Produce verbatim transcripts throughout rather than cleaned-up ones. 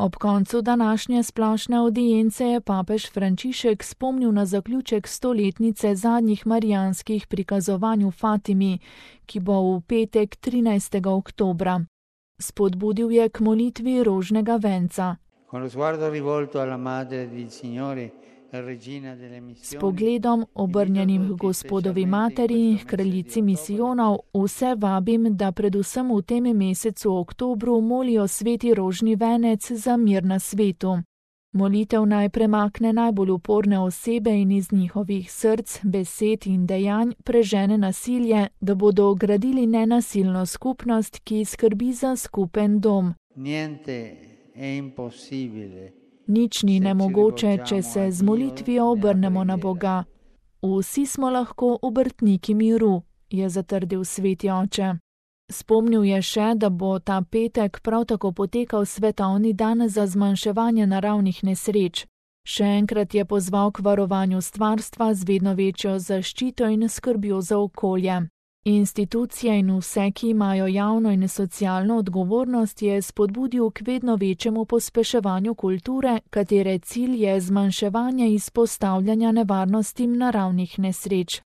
Ob koncu današnje splošne avdience je papež Frančišek spomnil na zaključek stoletnice zadnjih marijanskih prikazovanj v Fatimi, ki bo v petek trinajstega oktobra. Spodbudil je k molitvi rožnega venca. S pogledom, obrnjenim k Gospodovi materi in kraljici misijonov, vse vabim, da predvsem v tem mesecu oktobru molijo sveti rožni venec za mir na svetu. Molitev naj premakne najbolj uporne osebe in iz njihovih src, besed in dejanj prežene nasilje, da bodo gradili nenasilno skupnost, ki skrbi za skupen dom. Nič ni nemogoče, če se z molitvijo obrnemo na Boga. Vsi smo lahko obrtniki miru, je zatrdil sveti oče. Spomnil je še, da bo ta petek prav tako potekal svetovni dan za zmanjševanje naravnih nesreč. Še enkrat je pozval k varovanju stvarstva z vedno večjo zaščito in skrbjo za okolje. Institucije in vse, ki imajo javno in socialno odgovornost, je spodbudil k vedno večjemu pospeševanju kulture, katere cilj je zmanjševanje izpostavljanja nevarnostim naravnih nesreč.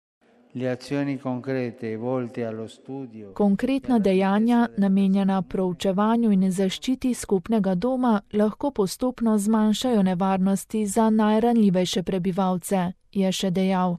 Konkretna dejanja, namenjena proučevanju in zaščiti skupnega doma, lahko postopno zmanjšajo nevarnosti za najranljivejše prebivalce, je še dejal.